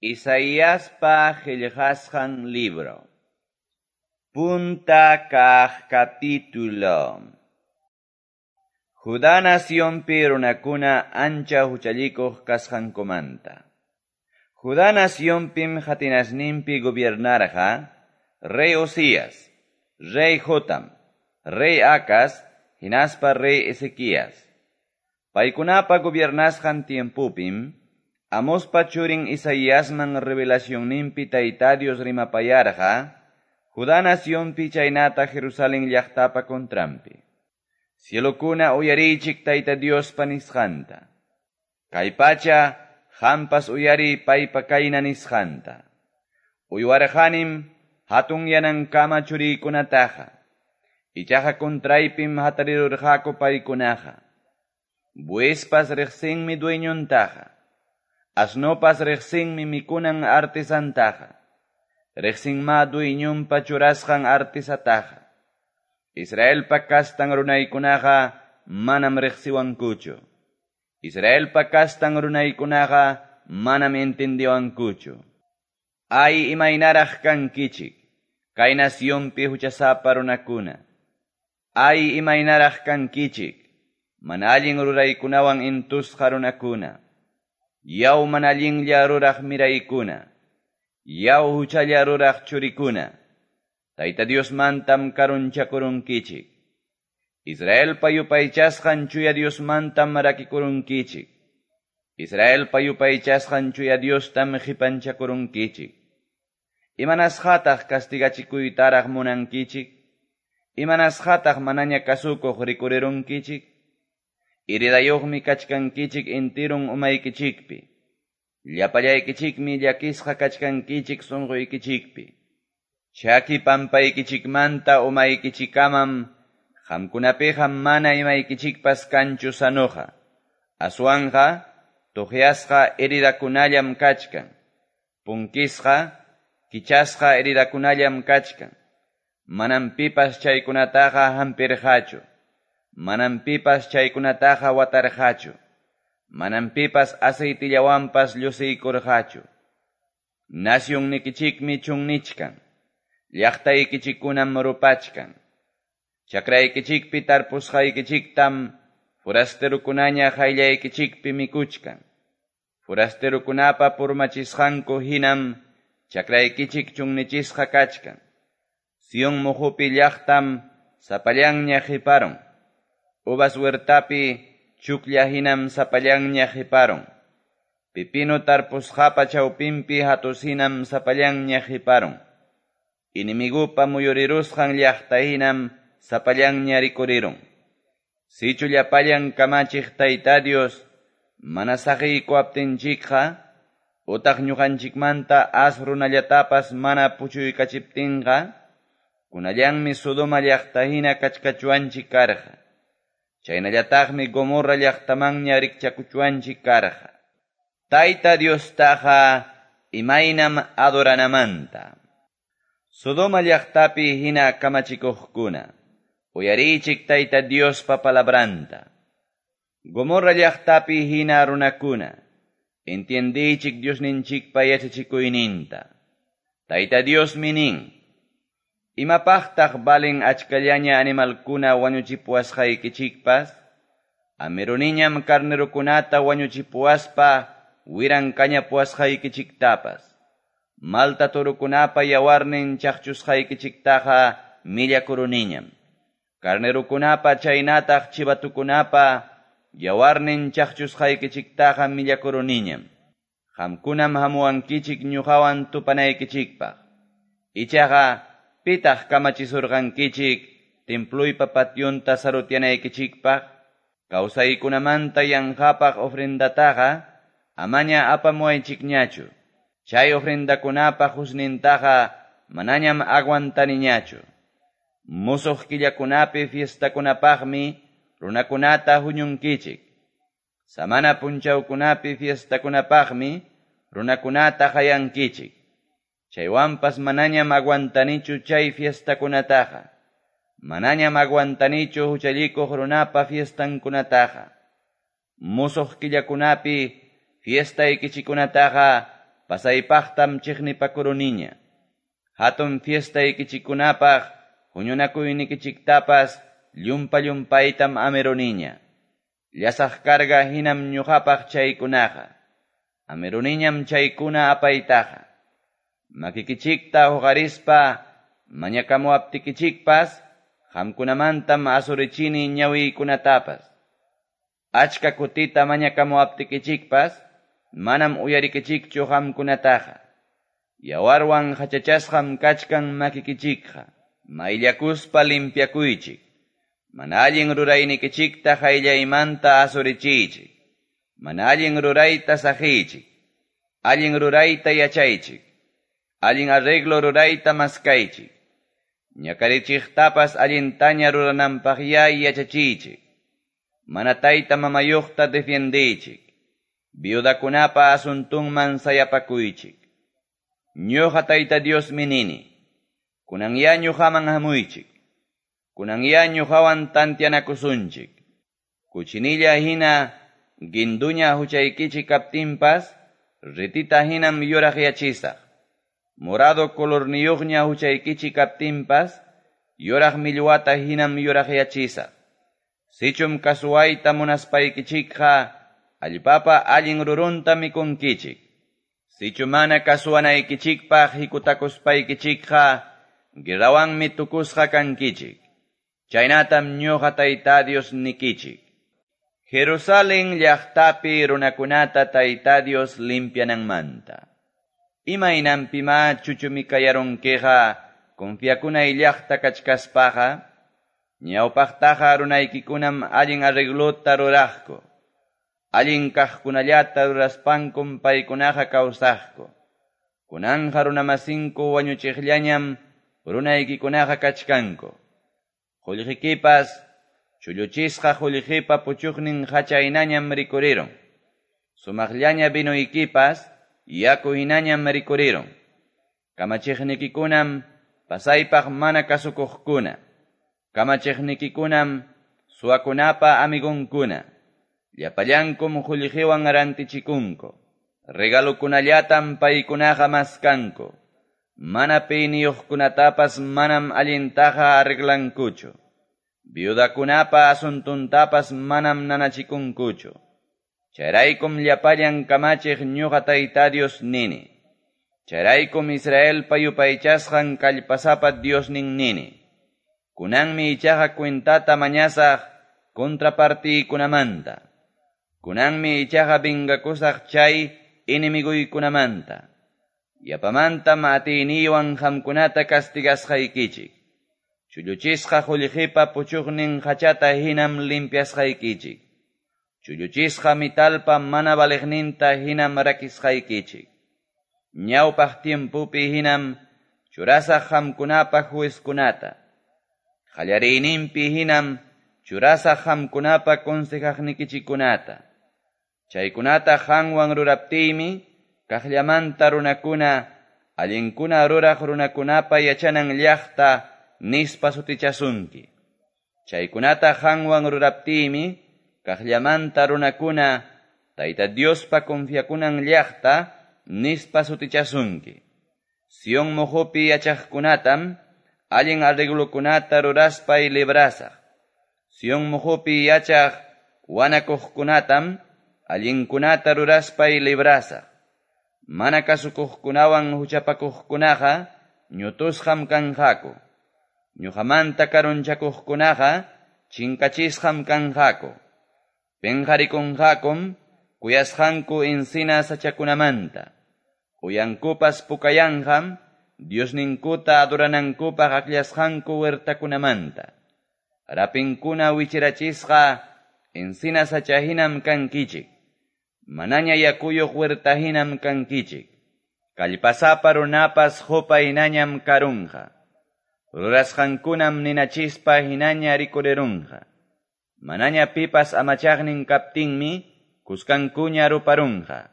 Isaiaspa qellqasqan libro. Punta kaq capítulo. Judá nacionpi runakuna ancha huchallikuq kasqankumanta. Judá nacionpim qatinasninpi gobiernarqa rey Ozías, rey Jotam, rey Acaz, hinaspa rey Ezequías. Paykunapa gobiernasqan tiempopim Amospa churin Isaiasman revelacionninpi Tayta Dios rimapayarqa Judá nacionpi chaynata Jerusalén llaqtapa contranpi. Cielokuna uyariychik Tayta Diospa nisqanta. Kay pacha qampas uyariy paypa kayna nisqanta. Uywarqanim hatun yanankama churiykunataqa. Ichaqa contraypim hatarirurqaku paykunaqa. Buespas riqsinmi dueñontaqa. Asnopas riqsinmi mikunan artesantaqa. Riqsinma dueñonpa churasqan artesataqa. Israelpa kastan runaykunaqa manam riqsiwankuchu. Israelpa kastan runaykunaqa manam entendiwankuchu. Ay imaynaraq kankichik, kay nacionpi huchasapa runakuna. Ay imaynaraq kankichik, mana allin ruraykunawan intusqa runakuna. Yaw mana allinlla ruraq miraykuna. Yaw huchalla ruraq churikuna. Tayta Diosmantam karunchakurunkichik. Israelpa yupaychasqan chuya Diosmantam rakikurunkichik. Israelpa yupaychasqan chuya Diostam qipanchakurunkichik. Imanasqataq castigachikuytaraq munankichik? Imanasqataq manaña kasukuq rikurirunkichik? Heridayuqmi kachkankichik entirun umaykichikpi. Llapallaykichikmi llakisqa kachkankichik sunquykichikpi. Chaki pampaykichikmanta umaykichikamam qamkunapiqa mana imaykichikpas kanchu sanoqa. Aswanqa tuqyasqa heridakunallam kachkan. Punkisqa, kichasqa heridakunallam kachkan. Manam pipas chaykunataqa hampirqachu. Manam pipas chaykunataqa watarqachu. Manam pipas aceitillawanpas llusiykurqachu. Nacionnikichikmi chunnichkan. Llaqtaykichikkunam rupachkan. Chakraykichikpi tarpusqaykichiktam forasterukunaña qayllaykichikpi mikuchkan. Forasterukunapa purmachisqanku hinam chakraykichik chunnichisqa kachkan. Sion muhupi llaqtam sapallanña qiparun. Uvas huertapi chuklla hinam sapallanña qiparun. Pipino tarpusqapa chawpinpi hatus hinam sapallanña qiparun. Inimigupa muyurirusqan llaqta hinam sapallanña rikurirun. Sichu llapallan kamachiq Tayta Dios mana saqiykuwaptinchikqa utaq ñuqanchikmanta as runallatapas mana puchuykachiptinqa kunallanmi Sodoma llaqta hina kachkachuanchik karqa. Chaynallataqmi Gomorra llaqtamanña rikchakuchuanchik karqa. Tayta Diostaqa imaynam adoranamanta. Sodoma llaqtapi hina kamachikuqkuna, uyariychik Tayta Diospa palabranta. Gomorra llaqtapi hina runakuna, entiendiychik Diosninchikpa yachachikuyninta. Tayta Diosmi nin, imapaqtaq valen achkallaña animalkuna wañuchipuwasqaykichikpas? Amiruniñam carnerukunata wañuchipuwaspa wiran kañapuwasqaykichiktapas. Malta torukunapa yawarnin chaqchusqaykichiktaqa millakuruniñam. Carnerukunapa chaynataq chivatukunapa yawarnin chaqchusqaykichiktaqa millakuruniñam. Qamkunam hamuwankichik ñuqawan tupanaykichikpaq. Ichaqa pitaq kamachisurqankichik templuypa pationta sarutyanaykichikpaq? Kawsaykunamanta yanqapaq ofrendataqa amaña apamuwaychikñachu. Chay ofrendakunapa husnintaqa manañam aguantaniñachu. Musuq killakunapi fiestakunapaqmi runakunata huñunkichik. Samana punchawkunapi fiestakunapaqmi runakunata qayankichik. Chaywanpas manañam aguantanichu chay fiestakunataqa. Manañam aguantanichu huchallikuq runapa fiestankunataqa. Musuq killakunapi fiestaykichikunataqa pasaypaqtam chiqnipakuruniña. Hatun fiestaykichikkunapaq huñunakuynikichiktapas llumpa-llumpaytam amiruniña. Llasaq carga hinam ñuqapaq chaykunaqa. Amiruniñam chaykuna apaytaqa. Makikichikta huqarispa mañakamuwaptikichikpas qamkunamantam asurichini ñawiykunatapas. Achka kutita mañakamuwaptikichikpas manam uyarikichikchu qamkunataqa. Yawarwan hachachasqam kachkan makikichikqa. Mayllakuspa limpiakuychik. Mana allin ruraynikichikta qayllaymanta asurichiychik. Mana allin rurayta saqiychik. Allin rurayta yachaychik. Allin arreglo rurayta maskaychik. Ñakarichiqtapas allintaña rurananpaqya yachachiychik. Mana tayta mamayuqta defiendiychik. Viudakunapa asuntunman sayapakuychik. Ñuqa Tayta Diosmi nini. Kunanya ñuqaman hamuychik. Kunanya ñuqawan tantianakusunchik. Kuchinilla hina ginduña huchaykichik kaptinpas, ritita hinam yuraqyachisaq. Morado colorniyuqña huchaykichik kaptinpas, yuraq millwata hinam yuraqyachisaq. Sichum kasuwayta munaspaykichikqa, allpapa allin rurunta mikunkichik. Sichu mana kasuwanaykichikpaq hikutakuspaykichikqa, guerrawanmi tukusqa kankichik. Chaynatam ñuqa Tayta Dios nikichik. Jerusalén llaqtapi runakunata Tayta Dios limpiananmanta. Imaynanpima chuchumikayarunkiqa confiakunay llaqta kachkaspaqa, ñawpaqtaqa runaykikunam allin arreglota ruraqku. Allin kaqkunallata ruraspankum paykunaqa kawsaqku. Kunanqa runamasinku wañuchiqllañam runaykikunaqa kachkanku. Qullqikipas chulluchisqa qullqipa puchuqnin hachaynañam rikurirun. Sumaqllaña vinuykipas yaku hinañam rikurirun. Kamachiqnikikunam pasaypaq mana kasukuqkuna. Kamachiqnikikunam suwakunapa amigunkuna. Llapallankum qullqiwan rantichikunku. Regalukunallatam paykunaqa maskanku. Mana piniyuqkunatapas manam allintaqa arreglankuchu. Viudakunapa asuntuntapas manam nanachikunkuchu. Chayraykum llapallan kamachiq ñuqa Tayta Dios nini. Chayraykum Israelpa yupaychasqan kallpasapa Diosnin nini. Kunanmi ichaqa cuentata mañasaq contrapartiykunamanta. Kunanmi ichaqa vingakusaq chay enemiguykunamanta. Yapamantam atiyniywan qamkunata castigasqaykichik. Chulluchisqa qullqipa puchuqnin hachata hinam limpiasqaykichik. Chulluchisqa mitalpa mana valiqninta hinam rakisqaykichik. Ñawpaq tiempupi hinam churasaq qamkunapa juezkunata. Qallariyninpi hinam churasaq qamkunapa consejaqnikichikkunata. Chaykunata qanwan ruraptiymi kaqllamanta runakuna allinkuna ruraq runakunapa yachanan llaqta nispa sutichasunki. Chaykunata qanwan ruraptiymi kaqllamanta runakuna Tayta Diospa confiakunan llaqta nispa sutichasunki. Sion muhupi yachaqkunatam allin arreglokunata ruraspay librasaq. Sion muhupi yachaq wanakuqkunatam allinkunata ruraspay librasaq. Mana kasukuqkunawan huchapakuqkunaqa ñutusqam kanqaku. Ñuqamanta karunchakuqkunaqa chinkachisqam kanqaku. Penqarikunqakum kuyasqanku encina sachakunamanta. Uyankupas pukayanqam Diosninkuta adoranankupaq akllasqanku huertakunamanta. Rapinkuna wichirachisqa encina sachahinam kankichik. Manaña yakuyuq huertahinam kankichik. Kallpasapa runapas hupa hinañam karunqa. Rurasqankunam ninachispa hinaña rikurirunqa. Manaña pipas amachaqnin kaptinmi kuskankuña ruparunqa.